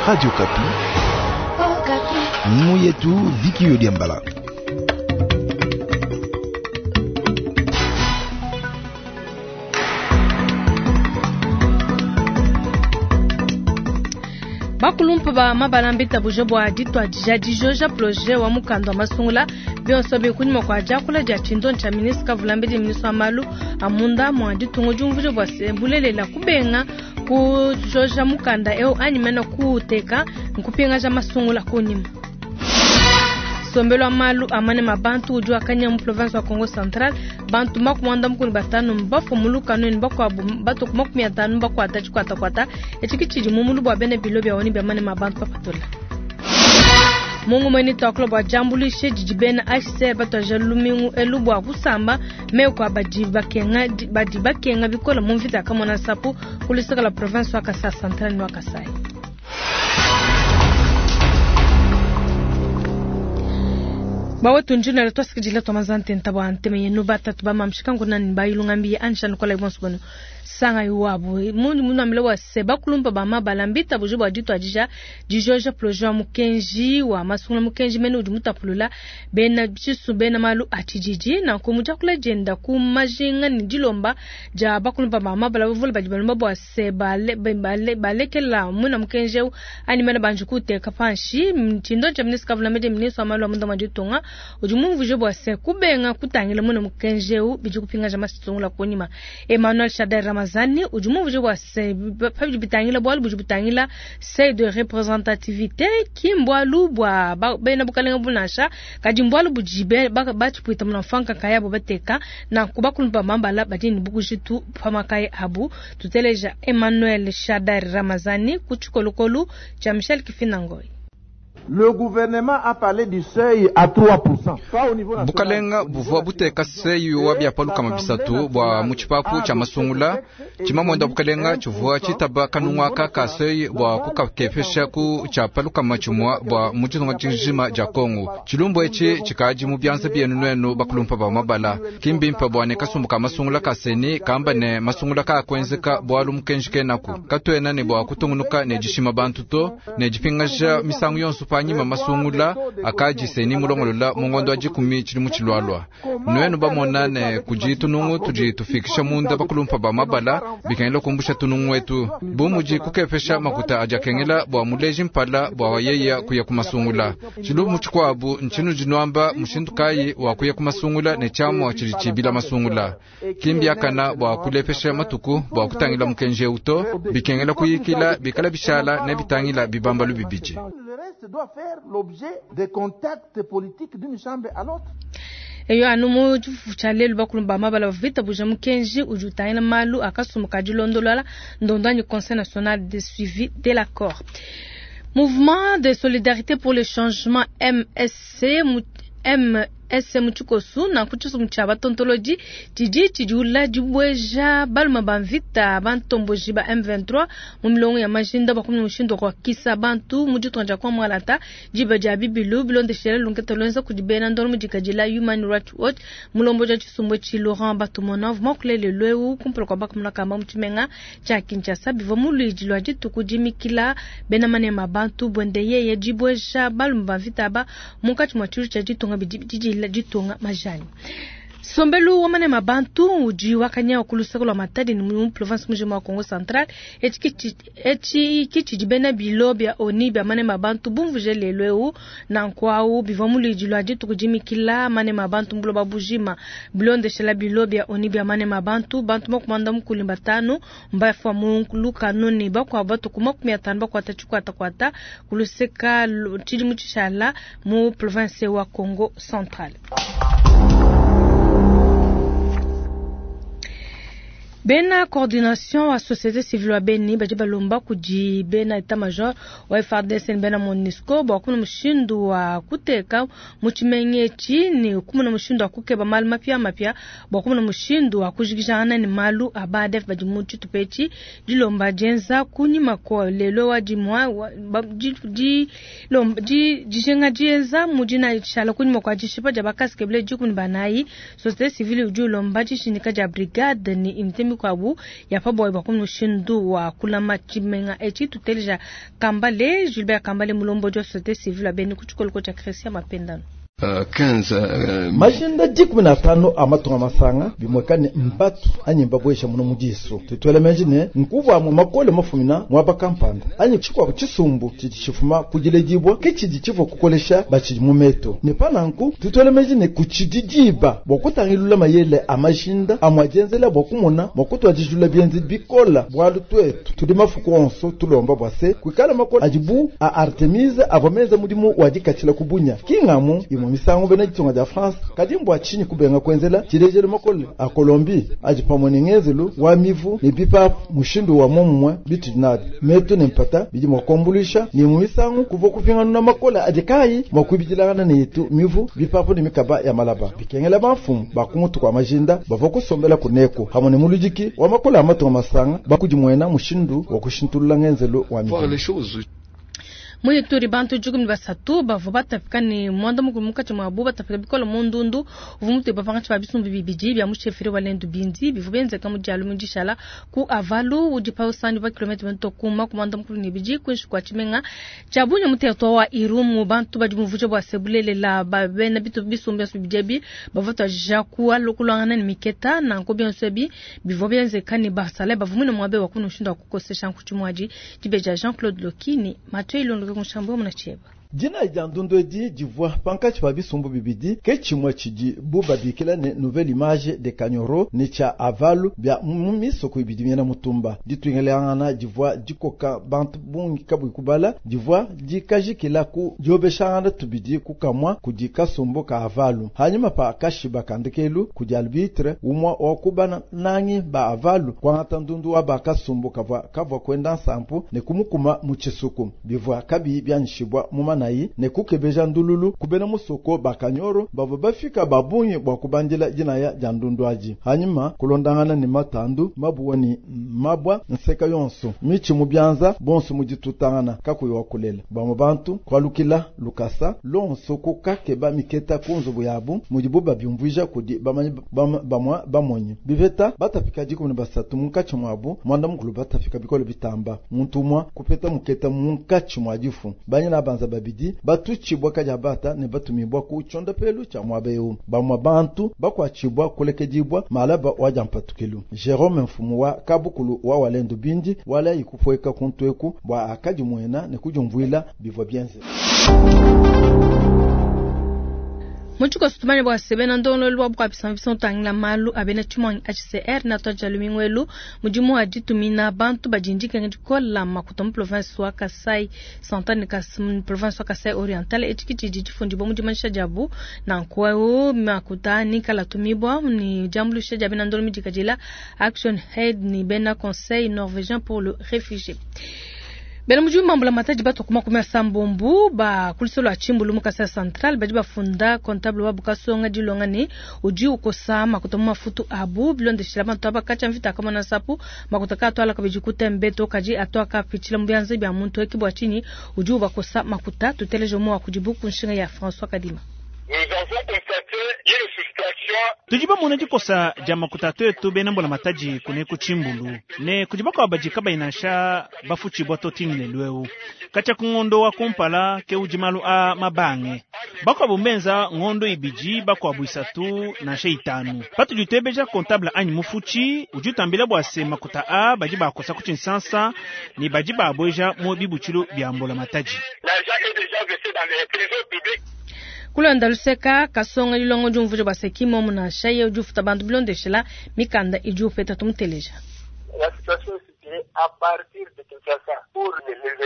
Radio Kapi. Muyetu Viki Yodiambala. Bakulumpa ba mabala mbitabuja bua dituadija dijoja projet wa mukanda wa masungula bionso biri kunyima kua diakula dia tshindondi tshia ministre Kavulambedi ministre wa malu a munda mua ditunga diumvuija bua se bulelela kubenga kujoja mukanda eu anyi mene kuuteka nkupingaja masungula kunyima. Nsombelu wa malu a manema a bantu udi wakanya mu province wa Kongo Central. Bantu 45 mbafue mu lukanu ne bakuabu batue ku 50 bakuata tshikuatakuata. Etshi ke tshidi mu mulu bua bena bilo bia ONU bia manema a bantu bapatula. Mu ngumu eyi netuakula bua diambuluisha didi bena HCR batuadija lumingu elu bua kusamba meku a badi bakenga, badi bakenga bikole mu mvita ya Kamona Nsapu ku luseke lua province wa Kasai Central ne wa Kasai. Bawetu njinala twasikidila twamaza ntenta bua nteme yenu batatu ba mamshika nguna ni bayilunga ansha nukola bonso banu sanga yuwabu mundu munambile wa se bakulumpa ba mabala mbita buju bua dituadija dijoja projet wa mukenji wa masungula mukenji mene udi mutapulula bena tshisu bena malu a tshididi nanku mudiakula dienda ku majinga ne dilomba dia bakulumpa ba mabala bavule badi balomba bua se bale, bale, balekela muna mukenji eu anyi mene banji kuteka panshi tshindo tshia ministre Kavulambedi ministre wa malu a munda mua ditunga udi mumvuje bua se kubenga kutangila muna mukenji eu bidi kupingaja masungula kunyima. Emmanuel Shadary Ramazani udi mumvuje bua se pabidi bitangila bualu budi butangila seuil de représentativité ki mbualu bua bena bukalenga bunansha kadi mbualu budi batshipuita muna mfanka nkayabo bateka nanku bakulumpa mambala badi ne bukujitu pa makaya abu. Tuteleja Emmanuel Shadary Ramazani ku tshikolokolu tshia Michel Kifinangoy. Le gouvernement a parlé du seuil à 3%. Pas au niveau national. Bukalenga buvua buteka seuil wa bia lukama bisatu bua mu tshipapu tshia masungula. Tshimamwenda bukalenga tshivua tshitaba kanunga aka ka seuil bua kukakepesha ku tshia palukama tshimua bua mu ditunga dijima dia Kongo. Tshilumbu etshi tshikadi mu bianza bienu nuenu bakulumpa ba mabala. Kimbimpa bua ne kasumbu ka masungula ka seni kamba ne masungula ka kuenzeka bualu mukenji kenaku. Katuena ne bua kutungunuka ne dishima bantu to ne dipingaja misangu yonso panyima masungula akadi seni mulongolola mungondo wa dikumi tshili mu tshilwalwa. Nuenu bamona ne kudi tunungu tudi tufikisha munda bakulumpa ba mabala bikengela kumbusha tunungu wetu bu mudi kukepesha makuta adi akengela bua muleji mpala bua wayeya kuya ku masungula. Tshilumbu tshikuabu ntshinu dinuamba mushindu kayi wa kuya ku masungula ne tshiamua tshidi tshibila masungula. Kimbiakana bua kulepesha matuku bua kutangila mukenji eu to bikengela kuyikila bikala bishala ne bitangila bibambalu bibidi. Le reste doit faire l'objet des contacts politiques d'une chambre à l'autre. Eyo anu mu tshifufu tshia lelu bakulumba mabala bavita buja mukenji udi utangila malu a kasumbu ka dilondolola ndondo anyi Conseil national de suivi de l'accord. Mouvement de solidarité pour le changement MSC MSC mu tshikosu nanku tshisumbu tshia batontolodi tshidi tshidiula dibueja balume ba mvita bantomboji ba M23 mu milongo ya majinda bua kumona mushindu wa kuakisa bantu mu ditunga dia Kwamwalata diba dia bibilu bilondeshela lunketa luenza kudi bena ndolo mu dikadila Human Rights Watch mulombodi wa tshisumbu etshi Laurent Batumona uvua muakulele lweu kumpala kua bakamuna kamba mu tshimenga tshia Kinshasa bivua mu luidi lua dituku dimikila bena manema bantu buende yeye dibueja balume ba mvita aba munkatshi mua tshilu tshia ditunga bidi didila ditunga majani. Nsombelu wa manema bantu udi wakanya ku luseke lua Matadi ne mu province mujima wa Kongo Central. Etshi ki tshidi bena bilo bia ONU bia manema bantu bumvuje lelu eu nanku au bivua mu luidi lua dituku dimikila manema bantu buloba bujima bilondeshela bilo bia ONU bia manema bantu bantu 55 mbafua mu lukanu ne bakuabu batu ku 50 bakuata tshikuatakuata ku luseka tshidi mu tshishala mu province wa Kongo Central. Bena coordination wa société civile wa Beni badi balomba kudi bena état major wa FARDC ne bena MONUSCO bua kumona mushindu wa kuteka mu tshimenga etshi ne kumona mushindu wa kukeba malu mapia mapia bua kumona mushindu wa kujikijangana ne malu a ba ADF badi mu tshitupa etshi. Dilomba dienza kunyima kua lelo wa dimua, wa, ba, di, di, lomba, di, dijenga dienza mu dina tshala kunyima kua dishipa dia bakasikebele 14. Société civile udi ulomba dishindika dia brigade ne unité mikuabu ya pa buayi bua kumona mushindu wa kulama tshimenga etshi. Tuteleja Kambale Gilbert Kambale, mulombodi wa société civile wa Beni ku tshikoloko tshia Christian Mapendano. 15 Majinda 15 a matunga masanga bimwekane mbatu anyi mbabwesha muno mudiso tutwele menji ne nkuva mu makole mafumina mwaba kampanda anyi chikwa chisumbu chidi chifuma kujiledibwa kichidi chivo kukolesha bachidi mu meto ne pananku tutwele menji ne kuchididiba bwa kutangilula mayele a majinda amwajenzela bwa kumona mwakutwajijula byenzi bikola bwalu twetu tudi mafuku onso tulomba bwase kwikala makole ajibu a Artemise avamenza mudimu wadikachila kubunya kingamu imwe misango bena ditunga dia France kadi mbwa chinyi kubenga kwenzela chilejelo makole a Colombie aji pamwe ne ngenzelu wa mivu ne bipapu mushindu wa momumwe bitu dinabi metu ne mpata bidi mwa kuambulisha ni mu misango kuva kupingana makole aji kayi mwa kuibidilangana ne yetu mivu bipapu ne mikaba ya malaba bikengela bamfumu bakumutu kwa majinda bava kusombela kuneko hamwe ne mulujiki wa makole a matunga masanga bakudimwena mushindu wa kushintulula ngenzelu wa mivu. Voir les choses. Mu Ituri bantu 13 bavua batapika ne mwanda mukulu munkatshi muabu batapika bikole mu ndundu uvua mutue pankatshi pa bisumbu bibidi bia mu chefferie wa Lendu Bindi bivua bienzeka mu dialu mu dishala ku Avalu udi pa usandi pa kilomètre mito kuma ku mwanda mukulu ne bidi kuinshi kua tshimenga tshia Bunia mu territoire wa Irumu. Bantu badi muvuja bua se bulelela ba bena bitu bisumbu bionso bibidi ebi bavua tuadija kualukuluangana ne miketa nanku bionso ebi bivua bienzeka ne basalayi bavua muine muabe wa kuna mushindu wa kukosesha nkutshimu adi dibeja Jean-Claude Loki ne Mathieu Ilondoke Nshambo muna tshieba. Dina dia ndundu edi divua pankatshi pa bisumbu bibidi ke tshimue tshidi bu babikila ne nouvelle image de Kanyoro ne tshia Avalu bia mu misoko ibidi miena mutumba. Dituingelangana divua dikoka bantu bungi kabuyi kubala divua dikajikila ku diobeshangana tubidi kukamua kudi kasumbu ka Avalu. Hanyuma pa kashiba kandekelu kudi arbitre umwa wa kubana nangi ba Avalu kuangata ndundu wa ba kasumbu kavua kavua kwenda nsampu ne kumukuma mu tshisuku bivua kabiyi bianyishibwa mu mana ne kukebeja ndululu kubena musoko bakanyoro bavua bafika babungi bwa kubandila dinaya dia ndundu adi. Hanyuma kulondangana ne matandu mabuwa ni mabwa nseka yonso michi mu byanza bonso muditutangana kakuyi wa kulela bamwe bantu kwalukila lukasa lonso kukakeba miketa ku nzubu yabu mudibu babyumvuija kudi bamanyi bamwa bamonyi biveta batafika 13 munkatshi mwabu mwanda mukulu batafika bikole bitamba muntu umwa kupeta muketa munkatshi mwa difu banyina banza babidi batuchibwa kajabata ne batumibwa ku chonda pelu cha mwabeu bamwa bantu bakwachibwa kulekedibwa malaba waja mpatukilu. Jerome mfumu wa kabukulu wa Walendu Bindi wala ikupweka kuntweku bwa akaji mwena ne kujumvwila bivwa byenze. Muchiko sutumani bwa sebena ndongo lwa bwa bisa bisa tangila malu abena chimwangi HCR na toja lumingwelu mudimu wa ditumina bantu bajindike ngikola makuta mu province wa Kasai Central ne Kasai province wa Kasai Oriental echikiti difundi bo mudimanisha jabu na nkwao makuta ni kala tumibwa ni jambulisha jabena ndongo midikajila Action Head ni bena Conseil norvégien pour le réfugié. Bena mujumba mbula mataji bato kuma kumia sambombu ba kulisolo achimbulu mu Kasai Central badi bafunda comptable wa bukasonga dilonga ne udi ukosa makuta mu mafutu abu bilondeshela bantu abakacha mvita kama na sapu makuta ka twala kabiji kutembe to kaji atwa ka pichila mu byanze bya muntu ekibwa chini udi ubakosa makuta tuteleje mu akujibu kunshinga ya François Kadima. Tudi bamona dikosa dia makuta twetu bena mbula mataji kune ku tshimbulu ne kudi bakuabu badi kabayi nansha bafutshibua to tingile lweu katshia ku ngondo wa kumpala ke udi malu a mabange bakuabu mbenza ngondo ibidi bakuabu isatu nansha itanu patudi utebeja comptable anyi mufutshi udi utambila bua se makuta a badi bakosa ku tshinsansa ne badi babweja mu bibutshilu bia mbula mataji. Kulonda luseka kasonga lilongo jumvuja baseki momu na shaye ujufuta bantu bilondeshela mikanda idi upeta tumuteleja.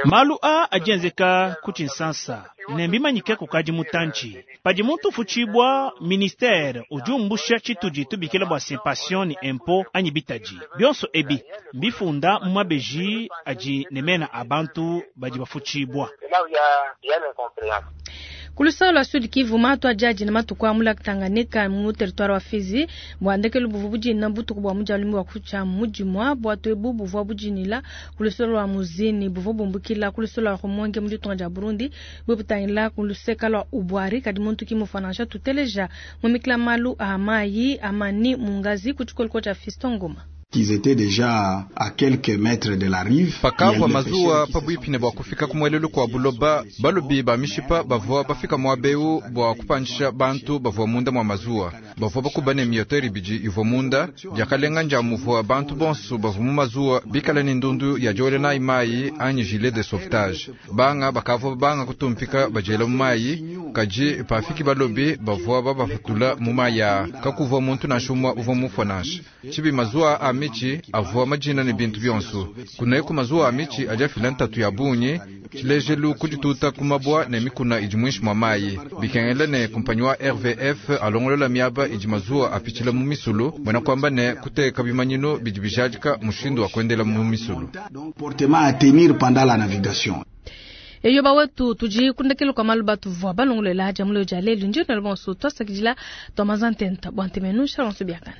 Malu a adienzeka ku tshinsansa ne mbimanyike kukadi mutantshi padi muntu ufutshibua ministere udi umbusha tshitudi tubikila bua simpation ni impo anyi bitaji bionso ebi mbifunda mu mabeji adi ne mena a bantu badi bafutshibua. Kulusalo lwa Sud Kivu matu ajaji na matuku amula Tanganyika mu territoire wa Fizi bwandekelu buvu bujina butuku bwa mujalumi wa kucha mujimwa bwatu ebu buvwa bujinila kulusalo lwa muzini buvwa bumbukila kulusalo lwa Rumonge mu ditunga dia Burundi bwebutangila kuluseka lwa Ubwari kadi muntu kimufanansha tuteleja mumikila malu a mayi amani mungazi kuchikoliko cha Fiston Ngoma. Qu'ils étaient déjà à quelques mètres de la rive. Pakavua mazuwa pabuipi ne bua kufika ku muelelu kua buloba, balobi ba mishipa bavua bafika muaba eu bua kupandisha bantu bavua munda mua mazuwa. Bavua bakuba ne miotere ibidi ivua munda. Diakalenga ndia muvua bantu bonso bavua mu mazuwa bikale ne ndundu ya diowela nayi mayi anyi gilet de sauvetage. Banga bakavua banga kutumpika badiela mu mayi, kadi pafiki balobi bavua babapatula mu mayi aa. Kakuvua muntu nansha umue uvua mufue nansha. Tshibi mazuwa a mitshi avua madina ne bintu bionso. Kuneku mazuwa a mitshi adi afila ntatu ya bungi, tshilejelu kudituta ku mabua ne mikuna idi muinshi mua mayi. Bikengela ne kumpanyi wa RVF alongolola miaba idi mazuwa apitshila mu misulu, mbuena kuamba ne kuteka bimanyinu bidi bijadika mushindu wa kuendela mu misulu. Comportement à tenir pendant la navigation. Eyo bawetu tudi ku ndekelu kua malu batuvua balongolola dia muleo dia lelu. Ndi nenu bonso tuasakidila tua mazantenta bua ntemenu shalonso biakana.